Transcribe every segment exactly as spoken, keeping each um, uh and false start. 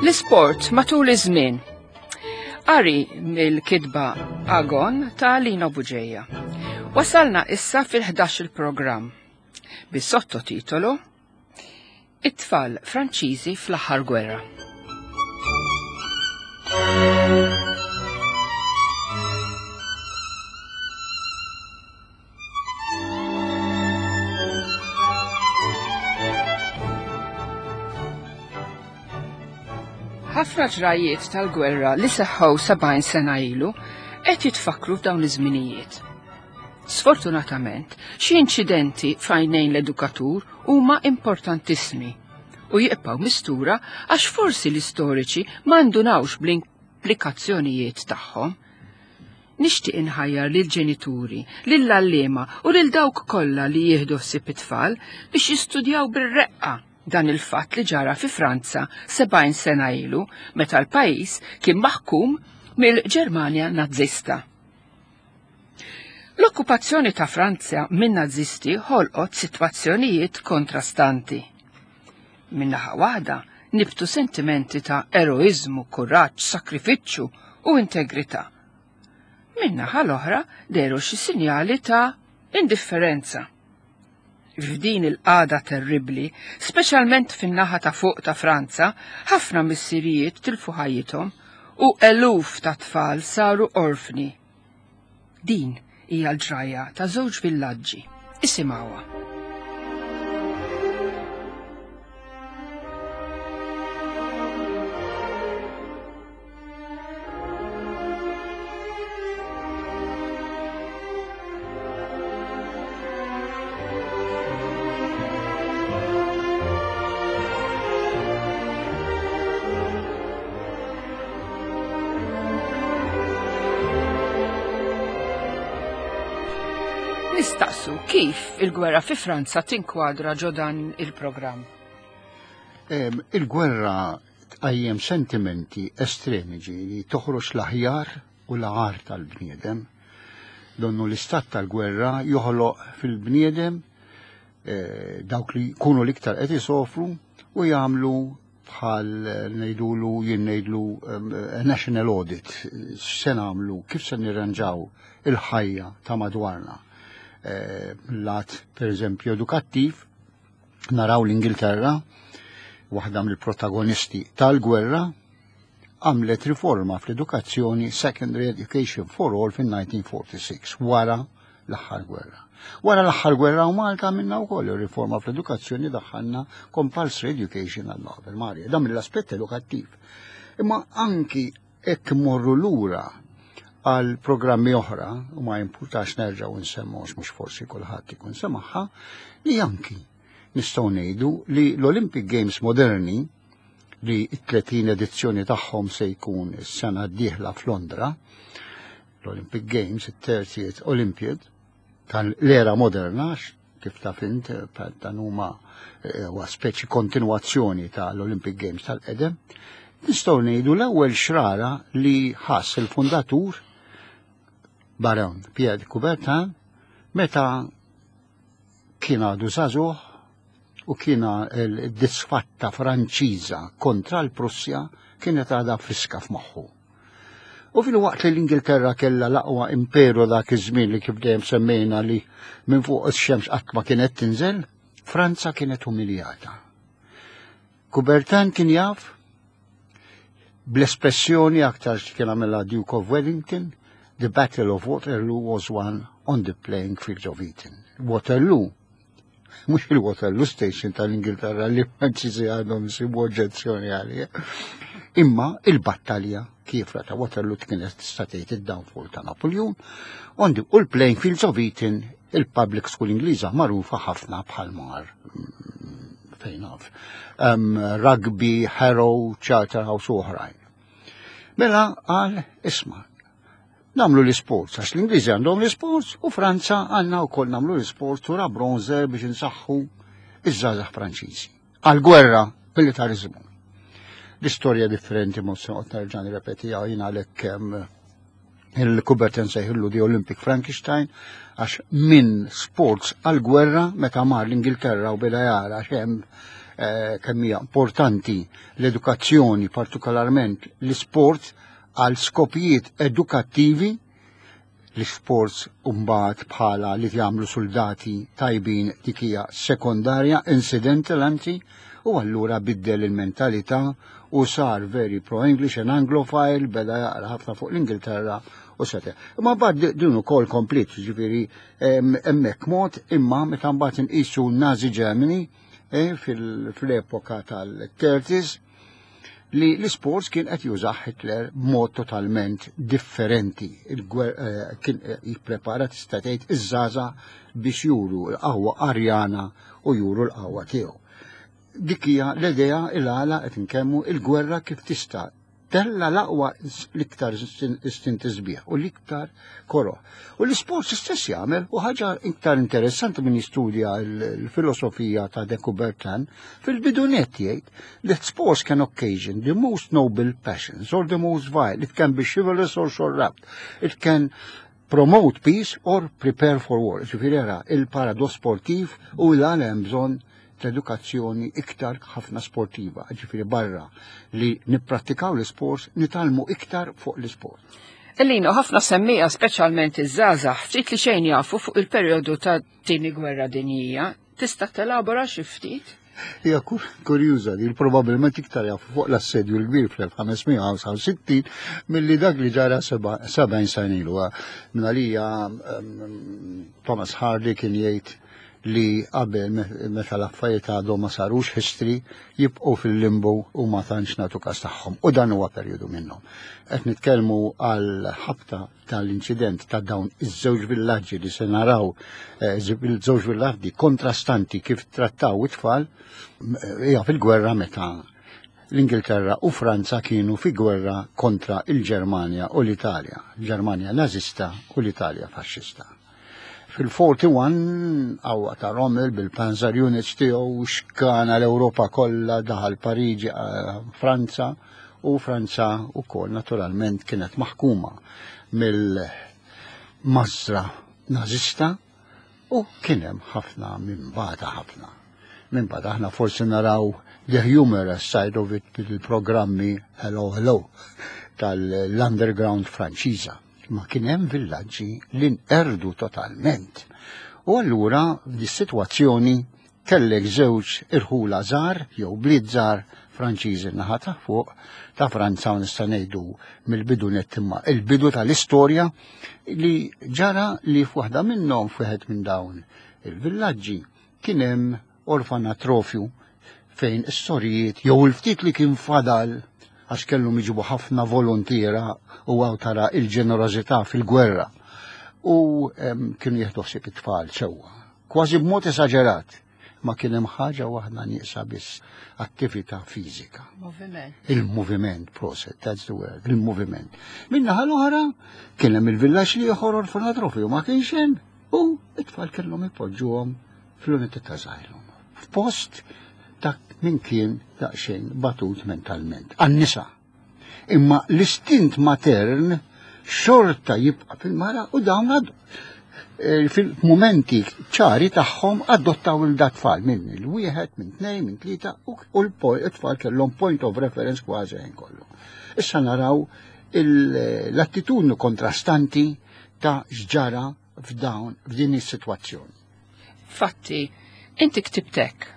L-isport matul iż-żmien. Qari mill-kitba Agon ta' Lino Buġeja. Wasalna issa fil-ħdax il-programm bis-sottotitolu It-tfal Franċiżi fl-aħħar gwerra. Ħafna ġrajiet tal-gwerra li seħħew sebgħin sena ilu qed jitfakkru f'dawn iż-żminijiet. Sfortunatament, xi inċidenti f'għajnejn l-edukatur huma importantissimi u jibqgħu mistura għax forsi l-istoriċi ma ndunawx bl-implikazzjonijiet tagħhom. Nixtieq inħajjar lill-ġenituri, lill-għalliema u lil dawk kollha li jieħdu ħsieb it-tfal biex jistudjaw bir-reqqa dan il-fatt li ġara fi Franza sebgħin sena ilu meta l-pajjiż kien maħkum mill-Ġermanja Nazzista. L-okkupazzjoni ta' Franza minn Nazisti ħolqot sitwazzjonijiet kontrastanti. Min-naħa waħda nibtu sentimenti ta' eroiżmu, kuraġġ, sakrifiċċju u integrità. Min-naħa l-oħra dehru xi sinjali ta' indifferenza. F'din il-qagħda terribbli, speċjalment fin-naħa ta' fuq ta' Franza, ħafna missirijiet tilfu ħajjithom u eluf ta' tfal saru orfni. Din hija l-ġrajja ta' żewġ villaġġi. Isimgħuha. Nistaqsu kif il-gwerra fi Franza tinkwadra ġo dan il-programm? Em, Il-gwerra tqajjem sentimenti estremi li toħroġ l-aħjar u l-agħar tal-bniedem. Donnu l-istat tal-gwerra joħloq fil-bniedem eh, dawk li jkunu l-iktar qed isofru u jagħmlu bħal ngħidulu jien ngħidlu em, national audit, x'se nagħmlu, kif se nirranġaw il-ħajja ta' madwarna. Eh, lat per eżempju edukattiv, naraw l-Ingilterra, waħda mill-protagonisti tal-gwerra, għamlet riforma fl-edukazzjoni Secondary Education for All fin-nineteen forty-six, wara l-aħħar gwerra. Wara l-aħħar gwerra u Malta għamilna wkoll riforma fl-edukazzjoni, daħħalna compulsory education għall-Ave Maria, dan mill-aspett edukattiv. Imma anki hekk morru lura għal programmi oħra, u ma jimpurtax nerġgħu nsemmu għax mhux forsi kulħadd ikun semaħħa, li anki nistgħu ngħidu li l-Olympic Games moderni li t-tletin edizzjoni tagħhom se jkun is-sena d-dieħla f'Londra, l-Olympic Games, it-thirtieth Olympiad, tal-era moderna, kif taf int, dan huma, eh, huwa speċi kontinwazzjoni tal-Olympic Games tal-qedem, nistgħu ngħidu l-ewwel xrara li ħass il-fundatur Baron Pierre de Coubertin meta kien għadu żagħżugħ u kien il-disfatta Franċiża kontra l-Prussja kienet għadha friska f'moħħu. U fil-waqt li l-Ingilterra kellha l-aqwa imperu dak iż-żmien li kif dejjem semmejna li minn fuq ix-xemx qatt ma kienet tinżel, Franza kienet umiljata. Coubertin kien jaf bl-espressjoni aktar kien għamilha Duke of Wellington, The Battle of Waterloo was won on the playing fields of Eton. Waterloo, mhux il-Waterloo Station tal-Ingilterra li Franċiżi għandhom isibu oġġezzjoni għalih, imma il-battalja kiefra ta' Waterloo kienet tista' tgħid id-downfall ta' Napoleon, on the, u l-playing fields of Eton, il-public school Ingliża magħrufa ħafna bħal mar, mm, fejn naf, um, Rugby, Harrow, Charterhouse u oħrajn. Mela qal, isma', namlu l-sports, għax l-Ingliżi għandhom l-sports u Franza għandna wkoll namlu l-sports u ra bronzer biex insaħħu iż-żgħażagħ Franċiżi. Għal-gwerra, militarizmu. L-istorja differenti ma se noqgħod nerġa' nirrepetiha jien għalhekk, em, il-Coubertin sejħillu di Olympic Frankenstein, għax minn sports għal-gwerra meta mar l-Ingilterra u beda jara x'hemm eh, kemm hija importanti l-edukazzjoni, partikolarment l-isport għal skopijiet edukattivi. L-sports imbagħad bħala li jagħmlu soldati tajbin, dik hija sekondarja, incidental anzi, u allura biddel il-mentalità u sar very pro-English and Anglophile, beda jaqra ħafna fuq l-Ingilterra u sete. Imma mbagħad din ukoll komplet, ġifieri hemmhekk mod, imma meta mbagħad inqisu Nazi Germany eh, fil-epoka tal-thirties li l-sports kien qed jużah Hitler b'mod totalment differenti. Eh, kien eh, jipprepara, tista' tgħid, iż-żgħażagħ biex juru l-qawwa Arjana u juru l-qawwa tiegħu. Dik hija l-idea il-għala qed inkemmu il-gwerra kif tista' tella l-aqwa, l-iktar istinti sbieħ u l-iktar koroh. U l-isport stess jagħmel, u ħaġa iktar interessanti minn jistudja l-filosofija ta' de Coubertin, fil-bidunet jgħid that sports can occasion the most noble passions or the most vile. It can be chivalrous or corrupt. It can promote peace or prepare for war. Ġifieri era il-paradoss sportiv u l-għala hemm bżonn edukazzjoni iktar ħafna sportiva, ġifieri barra li nipprattikaw l-sport, nitgħallmu iktar fuq l-sport. Elino, ħafna semmiegħa, speċjalment iż-żgħażagħ, ftit li xejn jafu fuq il-perjodu ta' Tieni Gwerra Dinjija. Tista' telabora xi ftit? Hija kurjuża li probabbilment iktar jafu fuq l-assedju l-kbir fl-elf ħames mija u ħamsa u sittin milli dak li ġara sebgħin sena ilu. Minn għalija Thomas Hardy kien jgħid li qabel meta l-affarijiet għadhom ma sarux history jibqgħu fil-limbo u ma tantx nagħtu każ tagħhom. U dan huwa perjodu minnhom. Qed nitkellmu għal ħabta tal-inċident ta' dawn iż-żewġ villaġġi li se naraw, eh, il-żewġ villaġġi kontrastanti kif trattaw it-tfal, hija fil-gwerra meta l-Ingilterra u Franza kienu fi gwerra kontra il-Ġermanja u l-Italja, Ġermanja nazista u l-Italja faxxista. Fil-erbgħa u erbgħin għawa ta' Rommel bil-Panzer Units tiegħu xkana l-Ewropa kollha, daħal Pariġi, eh, Franza, u Franza wkoll naturalment kienet maħkuma mill-mażra nazista u kien hemm ħafna minn bata ħafna. Minn bata aħna forsi naraw the humorous side of it bil-programmi Hello Hello tal-underground Franċiża. Ma kien hemm villaġġi li nqerdu totalment. U allura f'di sitwazzjoni kellek żewġ irħula żgħar jew bliet żgħar Franċiżi naħa ta' fuq ta' Franza, u nista' ngħidu mill-bidu nett imma il-bidu tal-istorja li ġara li f'waħda minnhom, f'wieħed minn dawn il-villaġġi, kien hemm orfanatrofju fejn is-sorijiet jew il-ftit li kien fadal, għax kellhom jiġibu ħafna volontiera u għaw tara il-ġenerożità fil-gwerra. U kienu jieħdu ħsieb it-tfal sewwa. Kważi b'mod esaġerat. Ma kien hemm ħaġa waħda nieqsa biss: attività fiżika. Moviment. Il-moviment, proset, that's the word, il-moviment. Min-naħa l-oħra kien hemm il-villaġġ li ieħor orfanatrofju ma kienx hemm u it-tfal kellhom ipoġġuhom fl-unità ta' asylum. F'post ta' min kien daqsxejn batut mentalment. Għan-nisa. Imma l-istint matern xorta jibqa' fil-mara u dawn għadu eh, fil-momenti ċari tagħhom adottaw il-dat-tfal minn il-wieħed, minn tnejn, minn tlieta u l-tfal kellhom point of reference kważi ħin kollu. Issa naraw l-attitudni kontrastanti ta' x'ġara f'dawn f'din is-sitwazzjoni. Fatti, inti ktibtek.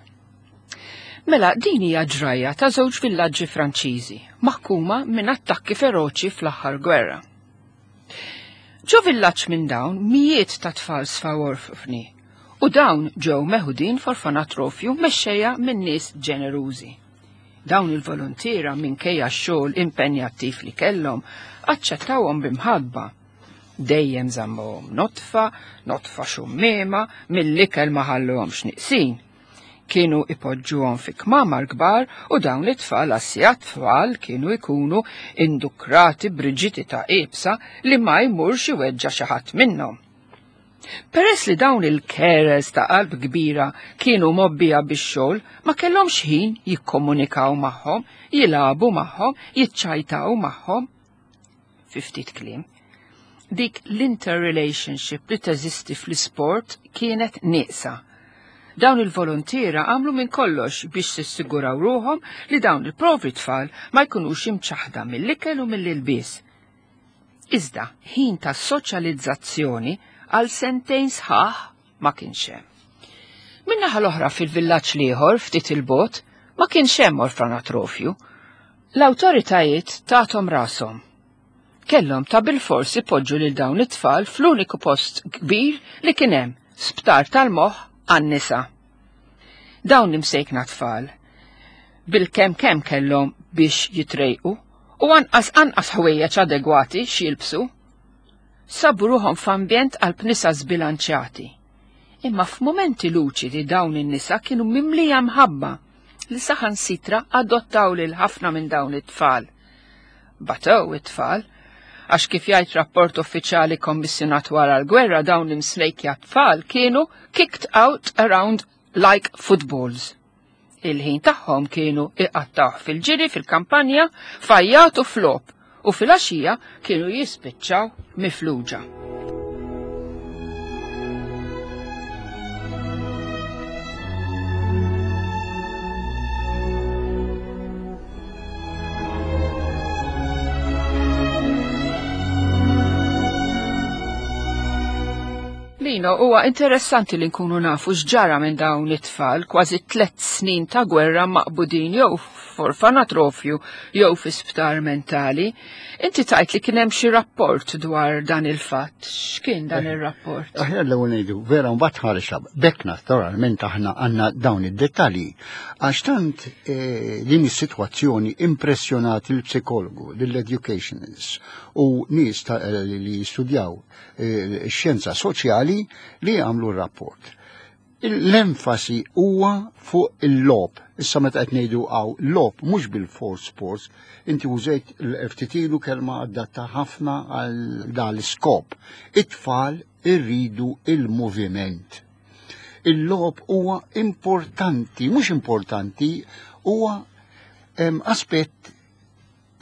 Mela, din hija ġrajja ta' żewġ villaġġi Franċiżi maħkuma minn attakki feroċi fl-aħħar gwerra. Ġo villaġġ minn dawn mijiet ta' tfal sfaw orfni u dawn ġew meħudin f'orfanatrofju mexxejja minn nies ġenerużi. Dawn il-volontiera, minkejja x-xogħol impenjattiv li kellhom, aċċettawhom b'imħabba. Dejjem żammuhom nodfa, nodfa xummiema, mill-ikel ma ħalluhomx nieqsin. Kienu ipoġġuhom fi kmamar kbar u dawn it-tfal għas tfal kienu ikunu indukrati b'riġidità iebsa li ma jmurx iweġġa' xi ħadd minnhom. Peress li dawn il-carers ta' qalb kbira kienu mgħobbija bix-xogħol, ma kellhomx ħin jikkomunikaw magħhom, jilagħbu magħhom, jiċċajtaw magħhom. Fi ftit kliem, dik l-interrelationship li teżisti fl-isport kienet nieqsa. Dawn il-volontiera għamlu minn kollox biex sissiguraw ruħhom li dawn il-povri tfal ma jkunux imċaħda mill-ikel u mill-ilbies. Iżda ħin ta' soċjalizzazzjoni għal sentejn sħaħ ma kienx hemm. Min-naħa l-oħra fil-villaġġ l-ieħor ftit il-bot ma kienx hemm orfanatrofju. L-awtoritajiet tathom rashom. Kellhom ta' bilfors ipoġġu lil dawn it-tfal fl-uniku post kbir li kien hemm, sptar tal-moħħ għan-nisa. Dawn imsejkna tfal bil-kemm kemm kellhom biex jitrejqu u anqas anqas ħwejjeġ adegwati x'jilbsu. Sabu ruħhom f'ambjent qalb nisa żbilanċjati. Imma f'mumenti luċidi dawn in-nisa kienu mimlija mħabba li saħansitra adottaw lil ħafna minn dawn it-tfal. Batew it-tfal, għax kif jgħid rapport uffiċjali kommissjonat wara l-gwerra dawn l-imslejkja tfal kienu kicked out around like footballs. Il-ħin tagħhom kienu iqattawh fil-ġiri fil-kampanja, fajjat u flop, u fil-għaxija kienu jispiċċaw mifluġa. Lino, huwa interessanti li nkunu nafu x'ġara minn dawn it-tfal kważi tliet snin ta' gwerra maqbudin jew f'orfanatrofju jew fi sptar mentali. Inti tajt li kien hemm xi rapport dwar dan il-fatt. X'kien dan ir-rapport? Aħjar l-ewwel ngħidu, vera mbagħad ħareġ bekk naturalment aħna għandna dawn id-dettalji. Għax tant eh, din is-sitwazzjoni impressjonat il-psikologu, lill-educationists u nies ta- li jistudjaw eh, x-xjenza soċjali li għamlu r-rapport. L-enfasi huwa fuq il-lob. Issa meta qed ngħidu hawn lob mhux bil-force sports, inti użejt l-ftitilu kelma adatta ħafna għal dan l-iskop. It-tfal irridu il-moviment. Il-lob huwa importanti, mhux importanti, huwa em, aspett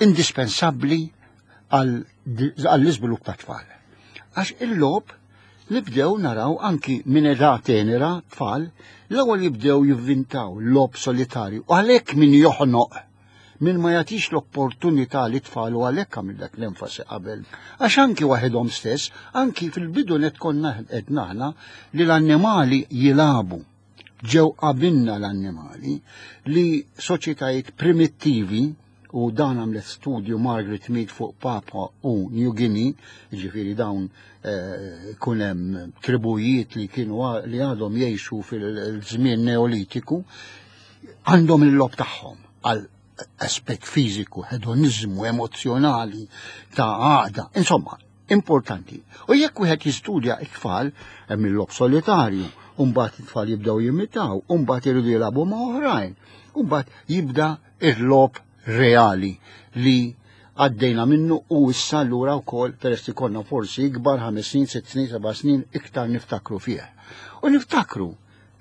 indispensabbli għall-iżvilupp ta' tfal. Għax il-lob nibdew naraw anki minn età tenera tfal l-ewwel jibdew jivvintaw lob solitarju. U għalhekk min joħnoq, min ma jagħtix l-opportunità li tfal u għalhekk għamillek l-enfasi qabel. Għax anki waħedhom stess, anki fil-bidu net konna qed aħna li l-annimali jilagħbu. Ġew qabilna l-annimali li soċjetajiet primittivi, u dan għamlet studju Margaret Mead fuq Papua u New Guinea, ġifieri dawn eh, kun hemm tribujiet li kienu li għadhom jgħixu fil-żmien neolitiku, għandhom il-lob tagħhom għal aspett fiżiku, hedonizmu, emozjonali, ta' għaqda, insomma, importanti. U jekk wieħed jistudja it-tfal, hemm il-lob solitarju, u mbagħad it-tfal jibdew jimitaw, u mbagħad iridu jilagħbu ma' oħrajn, u mbagħad jibda il-lob reali li għaddejna minnu u issa allura wkoll peress li konna forsi ikbar ħames snin, sitt snin, seba' snin iktar niftakru fih. U niftakru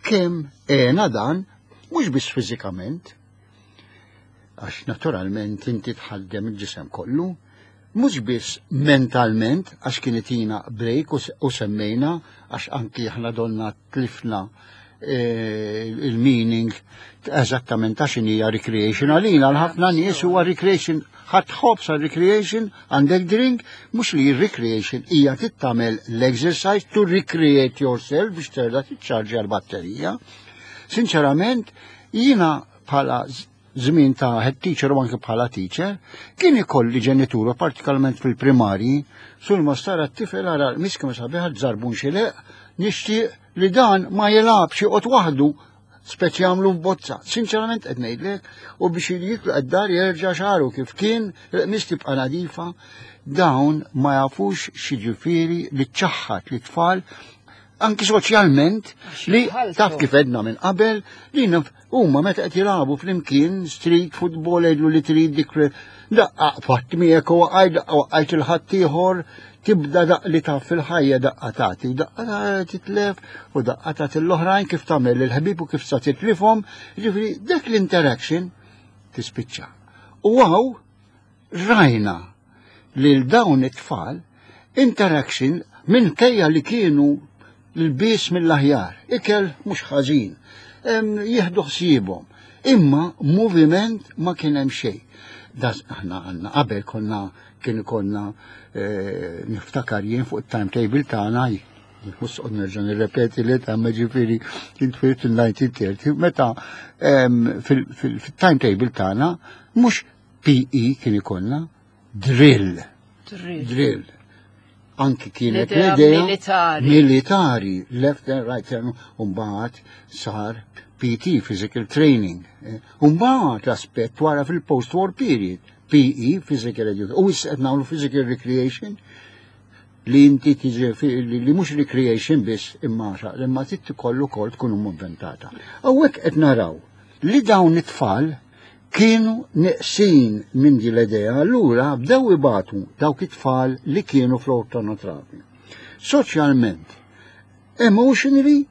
kemm għena dan mhux biss fiżikament, għax naturalment inti tħaddem il-ġisem kollu, mhux biss mentalment, għax kien itina break u s-, u semmejna, għax anki aħna donna tlifna eh, il-meaning eżattament ta' x'inhija recreation. Għalina l-ħafna nies huwa recreation, ħadd ħobż għal recreation, għandek drink, mhux li recreation hija tittamel l-exercise to recreate yourself biex terġa' tiċċarġja l-batterija. Sinċerament, jiena bħala żmien ta' head teacher u anke bħala teacher, kien ikolli ġenituru, partikolarment fil-primarji, sul ma stara t-tifel ara miska ma sabiħa żarbun xi leq, nixtieq li dan ma jilgħabx joqgħod waħdu, speċi jagħmlu f'bozza. Sinċerament qed ngħidlek, u biex jitlaq id-dar jerġa' xagħru kif kien, il-qmis tibqa' nadifa, dawn ma jafux x'jiġifieri li ċaħħad li tfal anki soċjalment li taf kif edna minn qabel li naf huma meta qed jilagħbu flimkien street football jgħidlu li trid dik daqqa fatt miegħek u waqajt daqqa waqajt il-ħaddieħor, tibda daq li taf fil-ħajja daqqa tagħti u daqqa titlef u daqqa tagħti l-oħrajn kif tagħmel il-ħbieb u kif sa titlifhom, jiġifieri dak l-interaction tispiċċa. U hawn rajna lil dawn it-tfal interaction minkejja li kienu L-bis mill-aħjar, ikel mhux ħażin, jieħdu ħsiebhom. Imma moviment ma kien hemm xejn. Aħna għandna qabel konna kien konna eh, niftakar jien fuq it-timetable tagħna mhux nerġa' nirrepeti li ta' ġifieri kien twirt il-nineteen thirty meta fil-timetable tagħna mhux P E kien ikollna drill. Drill. Anki kienet l-idea militari. Militari, left and right, u mbagħad sar P T, physical training. U mbagħad l-aspett wara fil-post-war period, P E, physical education. U issa qed nagħmlu physical recreation li inti tiġi li mhux recreation biss imma imma trid ikollu wkoll tkun inventata. Hawnhekk qed naraw li dawn it-tfal kienu neqsin minn di l-idea, allura bdew ibatu dawk it-tfal li kienu fl-orfanatrofju. Soċjalment, emotionally,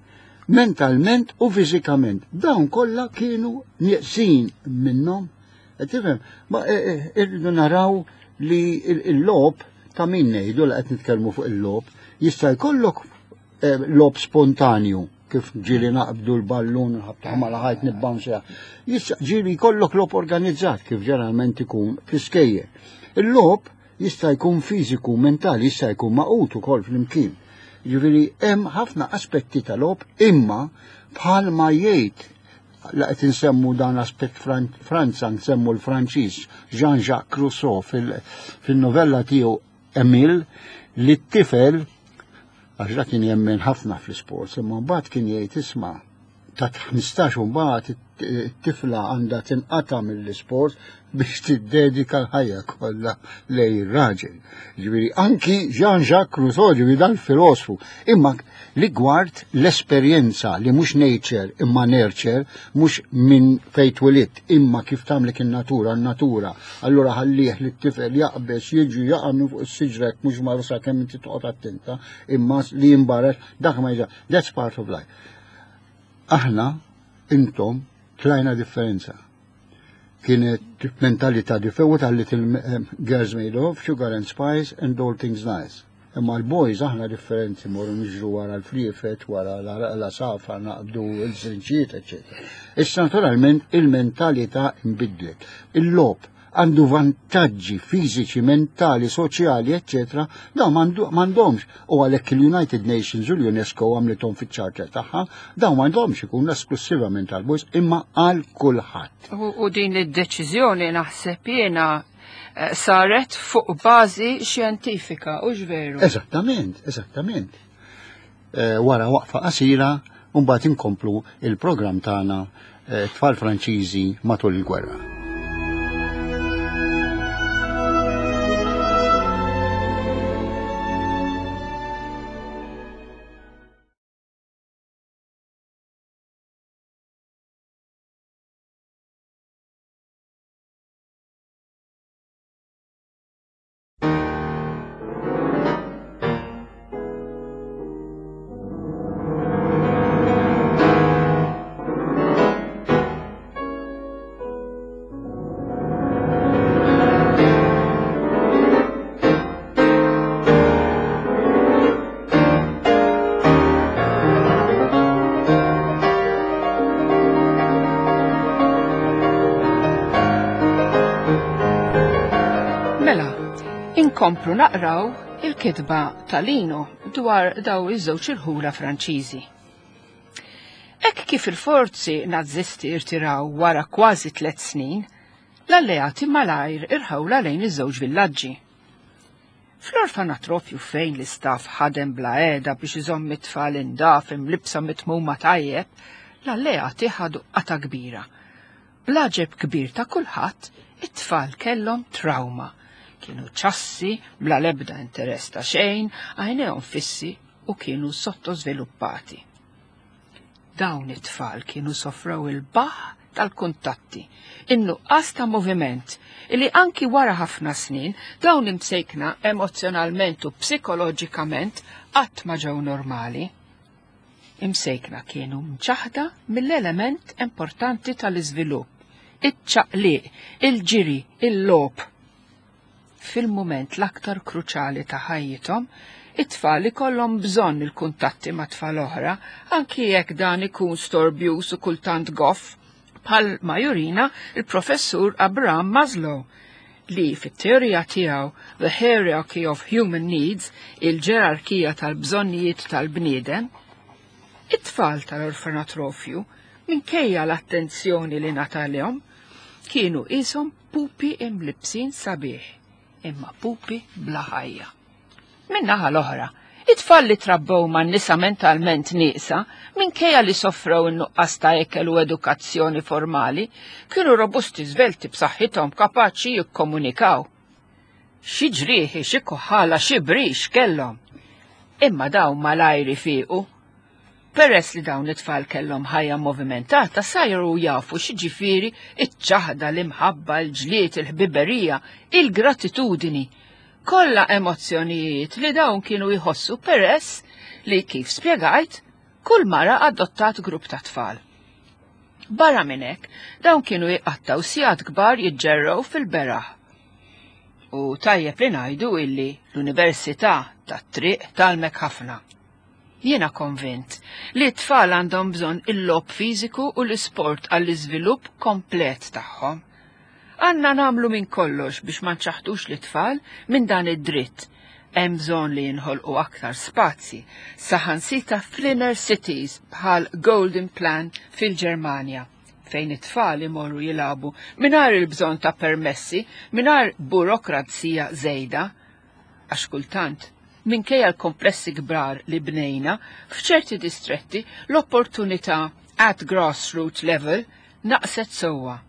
mentalment u fiżikament. Dawn kollha kienu neqsin minnhom. Tifhem, ma e, e, irridu naraw li il-logħob ta' min ngħidu li qed nitkellmu fuq il-logħob, jista' jkollok e, logħob spontanju kif ġieli naqbdu l-ballun, nħabtu mal-ħajt nibbansja. Jista' ġieli jkollok logħob organizzat kif ġeneralment ikun fl-iskejjel. Il-logħob jista' jkun fiżiku, mentali, jista' jkun magħqud ukoll flimkien. Ġifieri hemm ħafna aspetti tal-logħob imma bħalma jgħid la qed insemmu dan aspett Franza, nsemmu l-Franċiż Jean-Jacques Rousseau fil-novella tiegħu Emile li t-tifel għax dak kien jemmen ħafna fl-sports, imma mbagħad kien jgħid isma' ta' ħmistax u mbagħad it-tifla għandha tinqata' mill-isport biex tiddedika l-ħajja kollha lejn ir-raġel. Ġifieri anki Jean-Jacques Rousseau, ġifieri dal-filosfu, imma rigward l-esperjenza li mhux nature imma nurture, mhux minn fejn twelidt imma kif tagħmlek in-natura, n-natura. Allura ħallih li t-tifel jaqbeż jiġi jaqa' minn fuq is-siġrek mhux marsa kemm inti toqgħod attenta, imma li jimbarex dak ma jiġa. That's part of life. Aħna, intom, tlajna differenza. Kienet mentalità differenti tal little eh, girls made of sugar and spice and all things nice. Imma l-boys aħna differenti morru niġru wara l-friefet, wara l-għasafar, naqbdu l-żrinġiet, eccetera. Issa naturalment il-mentalità imbidlet. Il-logħob għandu vantaġġi fiżiċi, mentali, soċjali, eccetera, dawn m'għandhomx. U għalhekk il-United Nations u l-UNESCO għamlithom fiċ-charter tagħha, dawn m'għandhomx ikun esklusivament għal-boys imma għal kulħadd. U din id-deċiżjoni naħseb jiena eh, saret fuq bażi xjentifika, u veru? Eżattament, eżattament. Eh, wara waqfa qasira, mbagħad inkomplu il-programm tagħna eh, tfal Franċiżi matul il-gwerra. Inkomplu naqraw il-kitba ta' Lino dwar daw iż-żewġ irħula Franċiżi. Hekk kif il-forzi nazzisti irtiraw wara kważi tliet snin, l-alleati malajr irħawla lejn iż-żewġ villaġġi. Fl-orfanatrofju fejn l-istaff ħadem bla heda biex iżomm it-tfal indaf imlibsa mitmuma tajjeb, l-alleati ħadu qata kbira. Bl-għaġeb kbir ta' kulħadd, it-tfal kellhom trauma. Kienu ċassi, bla lebda interess ta' xejn, għajnejhom fissi u kienu sottosviluppati. Dawn it-tfal kienu sofrew il-baħ tal-kuntatti, in-nuqqas ta' moviment, illi anki wara ħafna snin dawn imsejkna emozjonalment u psikoloġikament qatt ma ġew normali. Imsejkna kienu mċaħda mill-element importanti tal-iżvilupp, iċ-ċaqliq, il-ġiri, il-logħob. Fil-moment l-aktar kruċali ta' ħajjithom, It-tfal ikollhom bżonn il-kuntatti ma' tfal oħra, anki jekk dan ikun storbjuż u kultant goff, bħal ma jurina il-professur Abraham Maslow, li fit-teorija tiegħu The Hierarchy of Human Needs, il-ġerarkija tal-bżonnijiet tal-bniedem, it-tfal tal-orfanatrofju, minkejja l-attenzjoni li ngħatalhom, kienu qishom pupi imlibsin sabiħ, imma pupi bla ħajja. Min-naħa l-oħra, it-tfal li trabbew ma' nisa mentalment nieqsa, minkejja li soffrew in-nuqqas ta' ekel u edukazzjoni formali, kienu robusti, svelti, b'saħħithom, kapaċi jikkomunikaw. Xi ġrieħi, xi kuħala, xi brix kellhom. Imma dawn malajr ifiequ. Peress li dawn it-tfal kellhom ħajja movimentata, saru jafu x'jiġifieri iċ-ċaħda, l-imħabba, l-ġlied, il-ħbiberija, il-gratitudini. Kollha emozzjonijiet li dawn kienu jħossu peress li, kif spjegajt, kull mara adottat grupp ta' tfal. Barra minn hekk, dawn kienu jqattaw sigħat kbar jiġġerrew fil-beraħ. U tajjeb li ngħidu illi l-Università tat-triq tgħallmek ħafna. Jiena konvint li t-tfal għandhom bżonn il-logħob fiżiku u l-isport għall-iżvilupp komplet tagħhom. Għandna nagħmlu minn kollox biex ma nċaħdux l-tfal minn dan id-dritt. Hemm bżonn li jinħolqu aktar spazji, saħansitra fl-inner cities bħal Golden Plan fil-Ġermanja, fejn it-tfal imorru jilagħbu mingħajr il-bżonn ta' permessi, mingħajr burokrazija żejda. Għax kultant, minkejja l-komplessi kbar li bnejna, f'ċerti distretti l-opportunità at grassroots level naqset sewwa.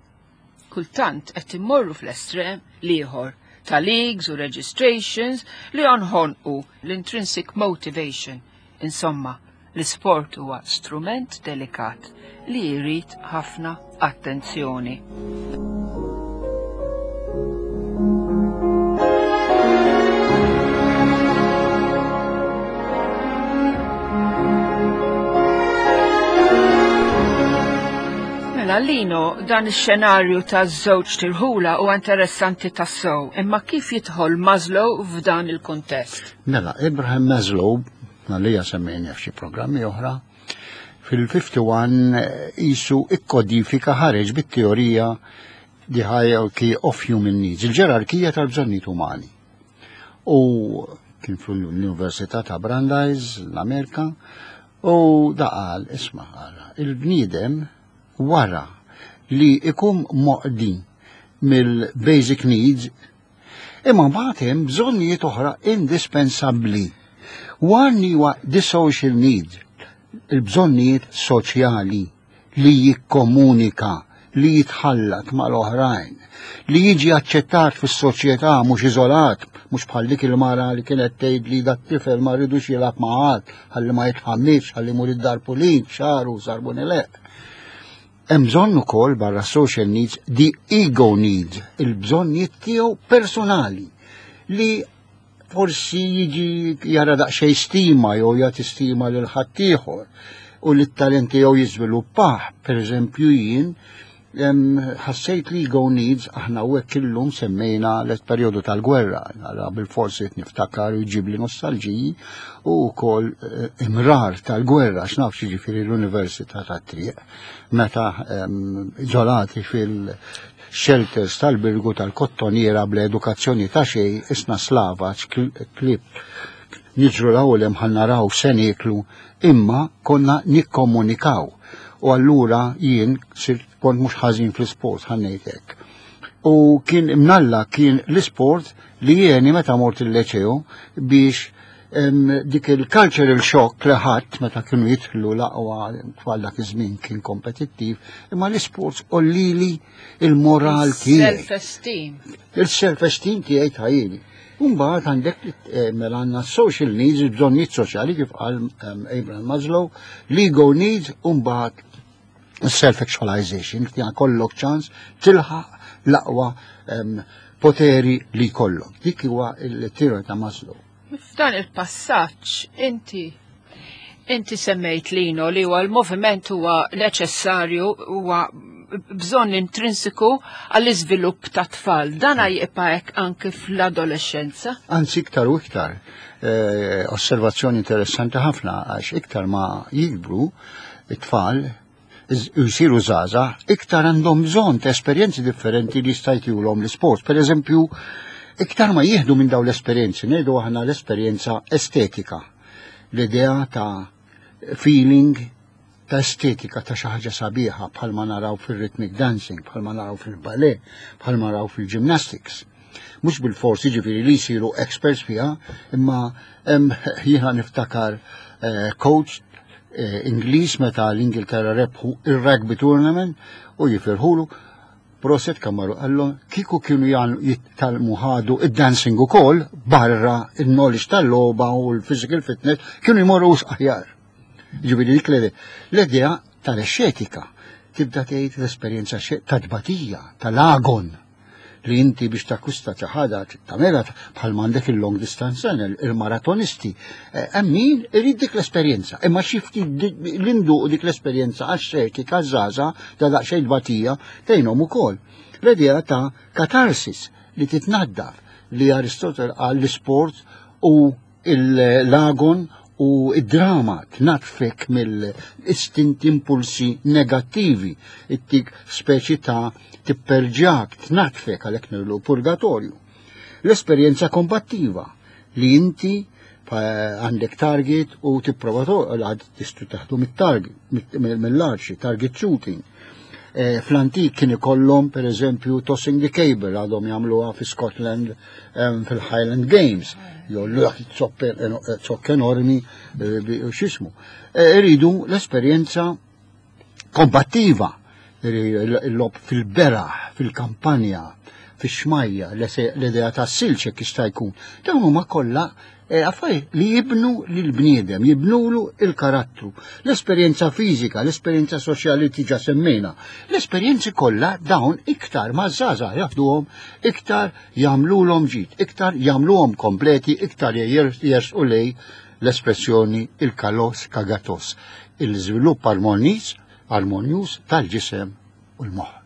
Kultant qed immorru fl-estrem l-ieħor ta' leagues u registrations li joħonqu l-intrinsic motivation. Insomma, l-isport huwa strument delikat li jrid ħafna attenzjoni. Mela, Lino, dan ix-xenarju ta' żewġ tirħula huwa interessanti tassew, imma kif jidħol Maslow f'dan il-kuntest? Mela, Abraham Maslow, għalija semmejna f'xi programmi oħra, fil-ħamsa u ħamsin jisu ikkodifika, ħareġ bit-teorija The Hierarchy of Human Needs, il-ġerarkija tal-bżonnijiet umani. U kien fl-Università ta' Brandeis, l-Amerika, u da qal, isma', għara, il-bniedem wara li ikun moqdi mill-basic needs, imma mbagħad hemm bżonnijiet oħra indispensabbli. One huwa the social need, il-bżonnijiet soċjali li jikkomunika, li jitħallat mal-oħrajn, li jiġi aċċettat fis-soċjetà, mhux iżolat, mhux bħal dik il-mara li kienet tgħid li dat tifel ma rridux jilgħab ma' ħadd, ħalli ma jitħammix, ħalli mur id-dar pulit, xaru, sarbuni leq. Hemm bżonn ukoll barra social needs the ego needs, il-bżonnijiet tiegħu personali li forsi jiġi jara daqsxejn stima jew jagħti stima lil ħaddieħor u li t-talent tiegħu jiżviluppah. Per eżempju, jien ħassejt li ego needs, aħna u hekk illum semmejna l-perjodu tal-gwerra, għara bil-forsi niftakar u jġib li nostalġiji u wkoll eh, imrar tal-gwerra, x'naf ġifieri l-Università tat-Triq, meta iżolati fil-shelters tal-Birgu tal-Kottoniera bl-edukazzjoni ta' xejn, isna slavaġ, klieb, niġru l-ewwel ħa naraw se nieklu, imma konna nikkomunikaw. U allura jien sirt kont mhux ħażin fl-isport, ħa ngħid hekk. U kien imnalla kien l-isport li jeni meta mort il-leċeo biex dik il-cultural shock li ħadd meta kienu jidħlu l-aqwa tfal dak iż-żmien kien kompetittiv, imma l-isports għollieli il-moral tiegħi. Self-esteem. Il-self-esteem tiegħi tajili. Mbagħad għandek eh, mela għandna social needs, il-bżonnijiet soċjali kif qal Abraham Maslow, l-ego needs, u mbagħad self-actualization, li kollok ċans tilħaq l-aqwa poteri li kollok. Dik huwa il-teorija ta' Maslow. F'dan il-passaġġ inti inti semmejt, Lino, li huwa l-moviment huwa neċessarju, huwa bżonn intrinsiku għall-iżvilupp ta' tfal. Dan jibqa' hekk anke fl-adolescenza. Anzi, iktar u iktar. Eh, osservazzjoni interessanti ħafna, għax iktar ma jikbru it-tfal u jsiru żgħażagħ, iktar għandhom bżonn ta' esperjenzi differenti li jista' jtihom l-isport. Per eżempju, iktar ma jieħdu minn dawn l-esperjenzi, ngħidu aħna l-esperjenza estetika, l-idea ta' feeling ta' estetika ta' xi ħaġa sabiħa, bħalma naraw fil-rhythmic dancing, bħalma naraw fil-ballet, bħalma naraw fil-gymnastics. Mhux bil-forsi ġifieri li jsiru experts fiha, imma hemm, jiena niftakar eh, coach eh, Ingliż meta l-Ingilterra rebħu il-rugby tournament u jifirħulu, "Prosit kamaru," qallu, "kieku kienu jitgħallmu ħadu id-dancing ukoll barra il-knowledge tal-logħba u l-physical fitness, kienu jmorru aħjar." Ġifieri dik l-idea tal-estetika, tibda tgħid l-esperjenza ta' tbatija, tal-agon, li inti biex takkwista xi ħaġa tagħmilha, bħal m'għandek il-long distance runner, il-maratonisti. Eh, hemm min irid dik l-esperjenza, imma xi ftit l-indu dik l-esperjenza għax-xetika żgħażagħ da daqsxejn tbatija tgħinhom ukoll. L-idea ta' katarsis, li titnaddaf, li Aristotle qal l-isport u l-agon u id-drama tnatfek mill-istinti, impulsi negattivi, ittik speċi ta' tipperġak, tnatfek, għalhekk ngħidulu purgatorju. L-esperjenza kombattiva, li inti għandek target u tipprova għad tistu taħdu mit-target, mill-arċi, target shooting. Eh, fl-antik kien ikollhom, per eżempju, tossing the caber, għadhom jagħmluha fi Scotland fil-Highland Games. Jollu dak zokk enormi eh, u x'ismu. Eh, iridu l-esperjenza kombattiva, il-logħob fil-beraħ, fil-kampanja, fix-xmajja, l-idea ta' silġ jista' jkun. Dawn huma kollha eh, affarijiet li jibnu lil-bniedem, jibnulu il-karattru. L-esperjenza fiżika, l-esperjenza soċjali diġà semmejna. L-esperjenzi kollha dawn, iktar ma żgħażagħ jaħduhom, iktar jagħmluhom ġid, iktar jagħmluhom kompleti, iktar jersqu lejn l-espressjoni il-kalos kagatos, il-żvilupp armoniż, armonjuż tal-ġisem u l-moħħ.